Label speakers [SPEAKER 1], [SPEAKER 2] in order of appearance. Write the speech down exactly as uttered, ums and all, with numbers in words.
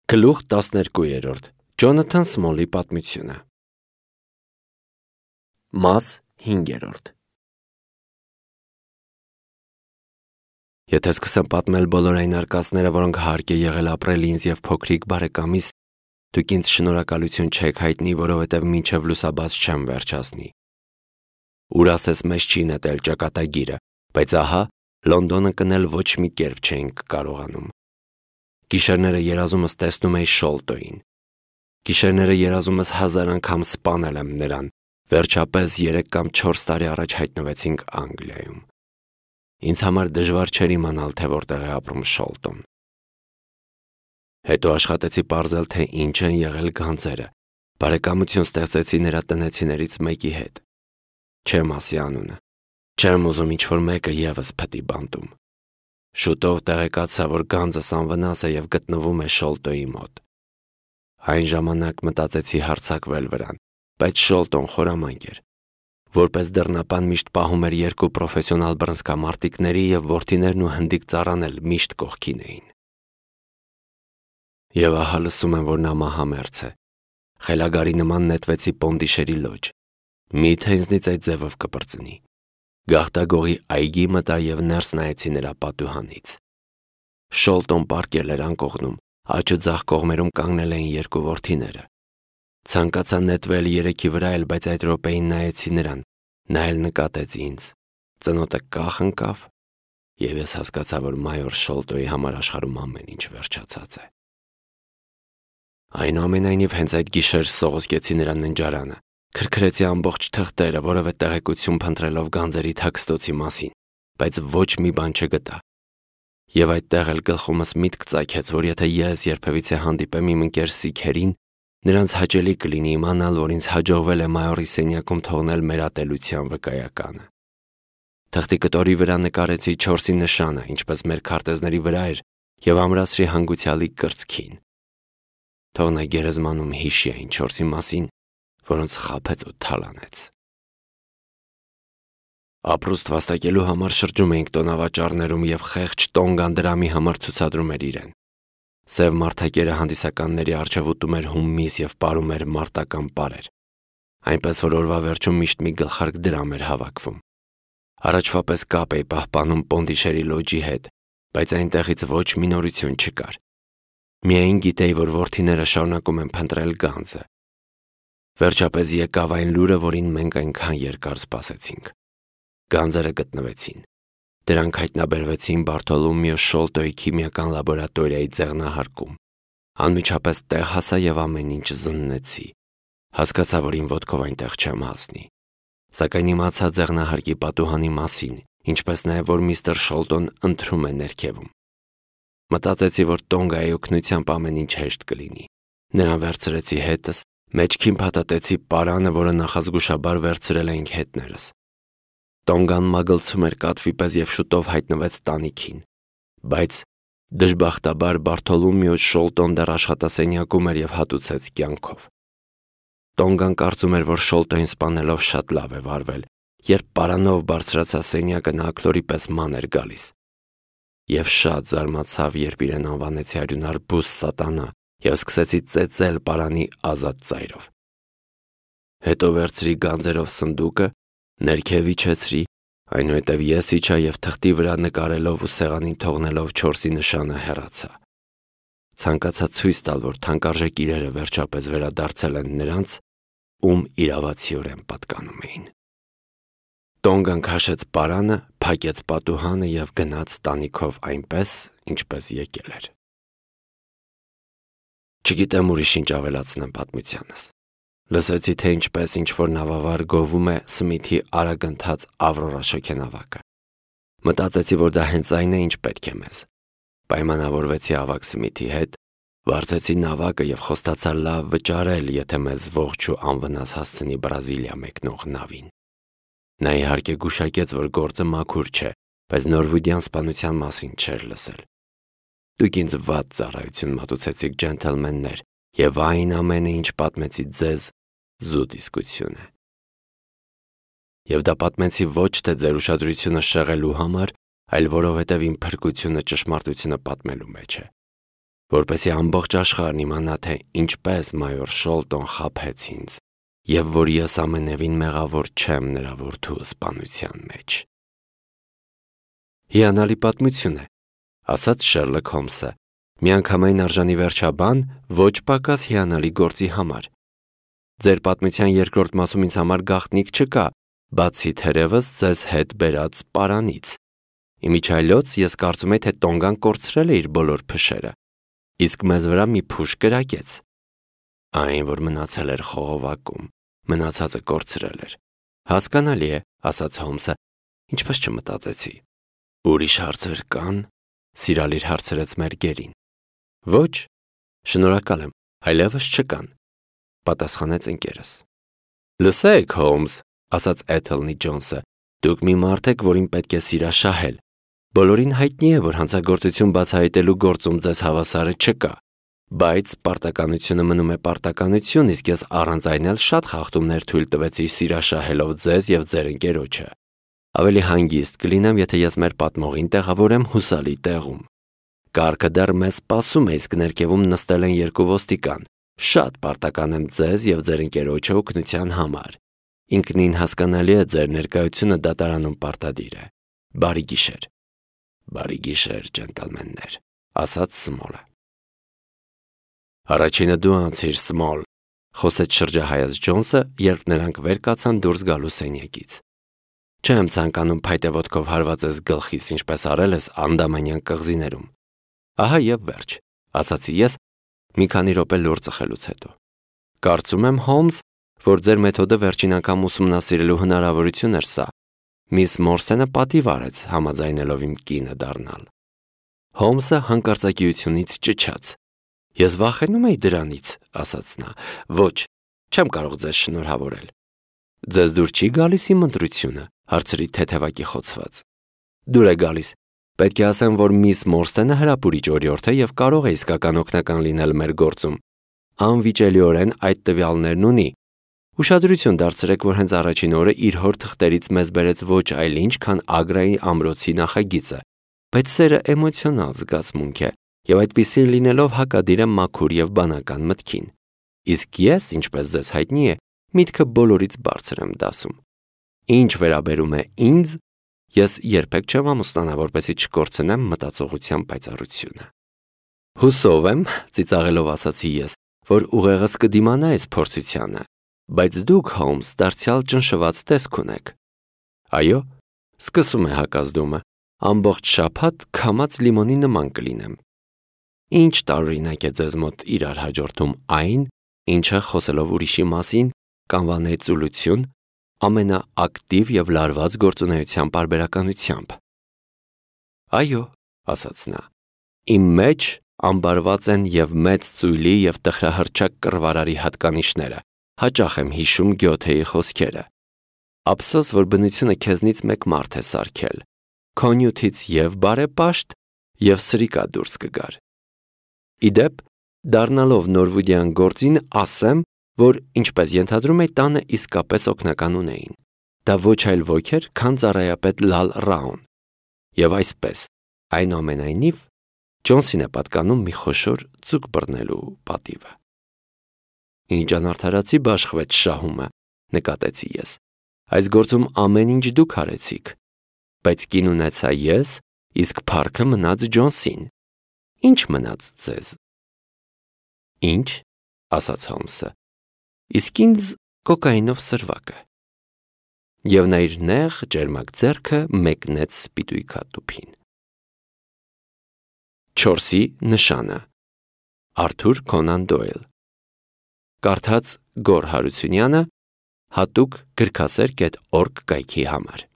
[SPEAKER 1] Գլուխ տասներկուերորդ. Ջոնաթան Սմոլի պատմությունը։ Մաս հինգերորդ. Եթե սկսեմ պատմել բոլոր այն արկածները, որոնք հարկ է եղել ապրել ինձ և փոքրիկ բարեկամիս, դուք ինձ շնորհակալություն չեք հայտնի, որովհետև մինչև լուսաբաց չեմ վերջացնի։ Ուր ասես մեզ չի նետել ճակատագիրը, բայց ահա Լոնդոնը կնել ոչ մի կերպ չէինք կարողանում։ Գիշերները երազումս տեսնում էի Շոլտոյին։ Գիշերները երազումս հազար անգամ սպանել եմ նրան, վերջապես երեք կամ չորս տարի առաջ հայտնվեցինք Անգլիայում։ Ինձ համար դժվար չէր իմանալ, թե որտեղ է ապրում Շոլտոն։ Հետո աշխատեցի պարզել, թե ինչ են եղել գանձերը, բարեկամություն ստեղծեցի նրա տնեցիներից մեկի հետ։ Չեմ ասի անունը, չեմ ուզում ինչ-որ մեկը ևս փտի բանտում։ Շուտով տեղեկացա, որ գանձս անվնաս է և գտնվում է Շոլտոյի մոտ։ Այն ժամանակ մտածեցի հարձակվել վրան, բայց Շոլտոն խորամանկ էր։ Որպես դռնապան միշտ պահում էր երկու պրոֆեսիոնալ բռնցքամարտիկների և որդիներն ու հնդիկ ծառան էլ միշտ կողքին էին։ Եվ ահա լսում եմ, որ նա մահամերձ է։ Խելագարի նման նետվեցի Պոնդիշերի լոջ։ Մի՞թե ինձնից այդ ձևով կպրծնի։ Գաղտագողի այգի մտա և ներս նայեցի նրա պատուհանից։ Շոլտոն պառկել էր անկողնում, աջ ու ձախ կողմերում կանգնել էին երկու որդիները։ Ցանկացա նետվել երեքի վրա էլ, բայց այդ րոպեին նայեցի նրան, նա էլ նկատեց ինձ։ Ծնոտը կախ ընկավ, և ես հասկացա, որ մայոր Շոլտոյի համար աշխարհում ամեն ինչ վերջացած է։ Այնուամենայնիվ հենց այդ գիշեր սողոսկեցի նրա ննջարանը, քրքրեցի ամբողջ թղթերը, որևէ տեղեկություն փնտրելով գանձերի թաքստոցի մասին, բայց ոչ մի բան չգտա։ Եվ այդտեղ էլ գլխումս միտք ծագեց, որ եթե ես երբևիցե հանդիպեմ իմ ընկեր սիկհերին, նրանց հաճելի կլինի իմանալ, որ ինձ հաջողվել է մայորի սենյակում թողնել մեր ատելության վկայականը։ Թղթի կտորի վրա նկարեցի չորսի նշանը, ինչպես մեր քարտեզների վրա էր, և ամրացրի հանգուցյալի կրծքին։ Թող նա գերեզմանում հիշի այն չորսի մասին, որոնց խաբեց ու թալանեց։ Ապրուստ վաստակելու համար շրջում էինք տոնավաճառներում և խեղճ Տոնգան դրամի համար ցուցադրում էր իրեն։ Սև մարդակերը հանդիսականների առջև ուտում էր հումմիս և պարում էր մարտական պարեր, այնպես որ օրվա վերջում միշտ մի գլխարկ դրամ էր հավաքվում։ Առաջվա պես կապ էի պահպանում Պոնդիշերի լոջի հետ, բայց այնտեղից ոչ մի նորություն չկար։ Միայն գիտեի, որ որդիները շարունակում են փնտրել գանձը։ Վերջապես եկավ այն լուրը, որին մենք այնքան երկար սպասեցինք։ Գանձերը գտնվեցին։ Դրանք հայտնաբերվեցին Բարտոլոմեո Շոլտոյի քիմիական լաբորատորիայի ձեղնահարկում։ Անմիջապես տեղ հասա և ամեն ինչ զննեցի։ Հասկացա, որ իմ ոտքով այնտեղ չեմ հասնի։ Սակայն իմացա ձեղնահարկի պատուհանի մասին, ինչպես նաև, որ միստր Շոլտոն ընթրում է ներքևում։ Մտածեցի, որ Տոնգայի օգնությամբ ամեն ինչ հեշտ կլինի։ Նրան վերցրեցի հետս, մեջքին փաթաթեցի պարանը, որը նախազգուշաբար վերցրել էինք հետներս։ Տոնգան մագլցում էր կատվի պես և շուտով հայտնվեց տանիքին, բայց դժբախտաբար Բարտոլոմեո Շոլտոն դեռ աշխատասենյակում էր և հատուցեց կյանքով։ Տոնգան կարծում էր, որ Շոլտոյին սպանելով շատ լավ է վարվել, երբ պարանով բարձրացա սենյակը, նա աքլորի պես ման էր գալիս։ Եվ շատ զարմացավ, երբ իրեն անվանեցի արյունարբույս սատանա և սկսեցի ծեծել պարանի ազատ ծայրով։ Հետո վերցրի գանձերով սնդուկը, ներքև իջեցրի, այնուհետև ես իջա և թղթի վրա նկարելով ու սեղանին թողնելով չորսի նշանը հեռացա։ Ցանկացա ցույց տալ, որ թանկարժեք իրերը վերջապես վերադարձել են նրանց, ում իրավացիորեն պատկանում էին։ Տոնգան քաշեց պարանը, փակեց պատուհանը և գնաց տանիքով այնպես, ինչպես եկել էր։ Չգիտեմ ուրիշ ինչ ավելացնեմ պատմությանս։ Լսեցի, թե ինչպես ինչ-որ նավավար գովում է Սմիթի արագընթաց Ավրորա շոգենավակը։ Մտածեցի, որ դա հենց այն է, ինչ պետք է մեզ։ Պայմանավորվեցի ավագ Սմիթի հետ, վարձեցի նավակը և խոստացա լավ վճարել, եթե մեզ ողջ ու անվնաս հասցնի Բրազիլիա մեկնող նավին։ Նա իհարկե գուշակեց, որ գործը մաքուր չէ, բայց նորվեգյան սպանության մասին չէր լսել։ Դուք ինձ վատ ծառայություն մատուցեցիք, ջենթլմեններ, և այն ամենը, ինչ պատմեցի ձեզ, զուտ իսկություն է։ Եվ դա պատմեցի ոչ թե ձեր ուշադրությունը շեղելու համար, այլ որովհետև իմ փրկությունը ճշմարտությունը պատմելու մեջ է։ որպեսզի ամբողջ աշխարհն իմանա, թե ինչպես մայոր Շոլտոն խաբեց ինձ, եւ որ ես ամենևին մեղավոր չեմ նրա որդու սպանության մեջ։ Հիանալի պատմություն է, ասաց Շերլոկ Հոլմսը, միանգամայն արժանի վերջաբան, ոչ պակաս հիանալի գործի համար։ Ձեր պատմության երկրորդ մասում ինձ համար գաղտնիք չկա, բացի թերևս ձեզ հետ բերած պարանից։ Իմիջայլոց ես կարծում եմ, թե Տոնգան կորցրել է իր բոլոր փշերը, իսկ մեզ վրա մի փուշ կրակեց։ Այն, որ մնացել էր խողովակում, մնացածը կորցրել էր։ Հասկանալի է, ասաց Հոլմսը, ինչպես չմտածեցի։ Ուրիշ հարցեր կան, սիրալիր հարցրեց Մերգերին։ Ոչ, շնորհակալ եմ, այլևս չկան, պատասխանեց ընկերս։ Լսեք, Հոլմս, ասաց Էթելնի Ջոնսը, դուք մի մարդ եք, որին պետք է սիրաշահել։ Բոլորին հայտնի է, որ հանցագործություն բացահայտելու գործում ձեզ հավասարը չկա, բայց պարտականությունը մնում է պարտականություն, իսկ ես առանց այն էլ շատ խախտումներ թույլ տվեցի սիրաշահելով ձեզ եւ ձեր ընկերոջը։ Ավելի հանգիստ կլինեմ, եթե ես մեր պատմողին տեղավորեմ հուսալի տեղում։ Կարգը դեռ մեզ սպասում է, իսկ ներքևում նստել են երկու ոստիկան։ Շատ պարտական եմ ձեզ եւ ձեր ընկերոջը օգնության համար։ Ինքնին հասկանալի է ձեր ներկայությունը դատարանում պարտադիր է։ Բարի գիշեր։ Բարի գիշեր, ջենտլմեններ, ասաց Սմոլը։ Առաջինը դու անցիր, Սմոլ, խոսեց շրջահայաց Ջոնսը, երբ նրանք վեր կացան դուրս գալու սենյակից։ Չեմ ցանկանում փայտե ոտքով հարվածես գլխիս, ինչպես արել ես անդամանյան կղզիներում։ Ահա եւ վերջ, ասացի ես, մի քանի րոպե լուր ծխելուց հետո։ Կարծում եմ, Հոլմս, որ ձեր մեթոդը վերջին անգամ ուսումնասիրելու հնարավորություն էր սա։ Միս Մորսենը պատիվ արեց, համաձայնելով իմ կինը դառնալ։ Հոլմսը հանկարծակիությունից ճչաց։ Ես վախենում էի դրանից, ասաց նա։ Ոչ, չեմ կարող ձեզ շնորհավորել։ Ձեզ դուր չի գալիս իմ ընտրությունը, հարցրի թեթևակի խոցված։ Դուր է գալիս։ Պետք է ասեմ, որ միս Մորսենը հրապուրիչ օրիորդ է եւ կարող է իսկական օգնական լինել մեր գործում։ Անվիճելիորեն այդ տվյալներն ունի։ Ուշադրություն դարձրեք, որ հենց առաջին օրը իր հոր թղթերից մեզ բերեց ոչ այլ ինչ, քան Ագրայի ամրոցի նախագիծը, բայց սերը էմոցիոնալ զգացմունք է եւ այդպիսին լինելով հակադիր է մաքուր եւ բանական մտքին։ Իսկ ես, ինչպես ձեզ հայտնի է, միտքը բոլորից բարձր եմ դասում։ Ինչ վերաբերում է ինձ, ես երբեք չեմ ամուսնանա, որպեսզի չկորցնեմ մտածողության պայծառությունը։ Հուսով եմ, ծիծաղելով ասացի ես, որ ուղեղս կդիմանա այս փորձությանը, բայց դուք, Հոլմս, դարձյալ ճնշված տեսք ունեք։ Այո, սկսում է հակազդումը, ամբողջ շաբաթ քամած լիմոնի նման կլինեմ։ Ինչ տարօրինակ է ձեզ մոտ իրար հաջորդում այն, ինչը խոսելով ուրիշի մասին, կանվանեցուլություն, ամենաակտիվ եւ լարված գործունեության պարբերականությամբ։ Այո, ասաց նա, իմ մեջ ամբարված են եւ մեծ ծույլի եւ տխրահռչակ կռվարարի հատկանիշները, հաճախ եմ հիշում Գյոթեի խոսքերը։ Ափսոս, որ բնությունը քեզնից մեկ մարդ է սարքել, քո նյութից եւ բարեպաշտ եւ սրիկա դուրս կգար։ Իդեպ, դառնալով նորվուդյան գործին, ասեմ, որ ինչպես ենթադրում էի, տանը իսկապես օգնական ունեին։ Դա ոչ այլ ոք էր, քան ծառայապետ Լալ Ռաուն։ Եվ այսպես, այնուամենայնիվ, Ջոնսին է պատկանում մի խոշոր ձուկ բռնելու պատիվը։ Ինչ անարդարացի բաշխվեց շահումը, նկատեցի ես։ Այս գործում ամեն ինչ դուք արեցիք, բայց կին ունեցա ես, իսկ փառքը մնաց Ջոնսին։ Ինչ մնաց ձեզ։ Ինչ, ասաց Հոլմսը, իսկ ինձ կոկայինով սրվակը։ Եվ նա իր նեղ ջերմակ ձեռքը մեկնեց սպիտույքատուփին։ Չորսի նշանը։ Արթուր Կոնան Դոյլ։ Կարդաց Գոր Հարությունյանը, հատուկ գրքասեր կետ օրգ կայքի համար։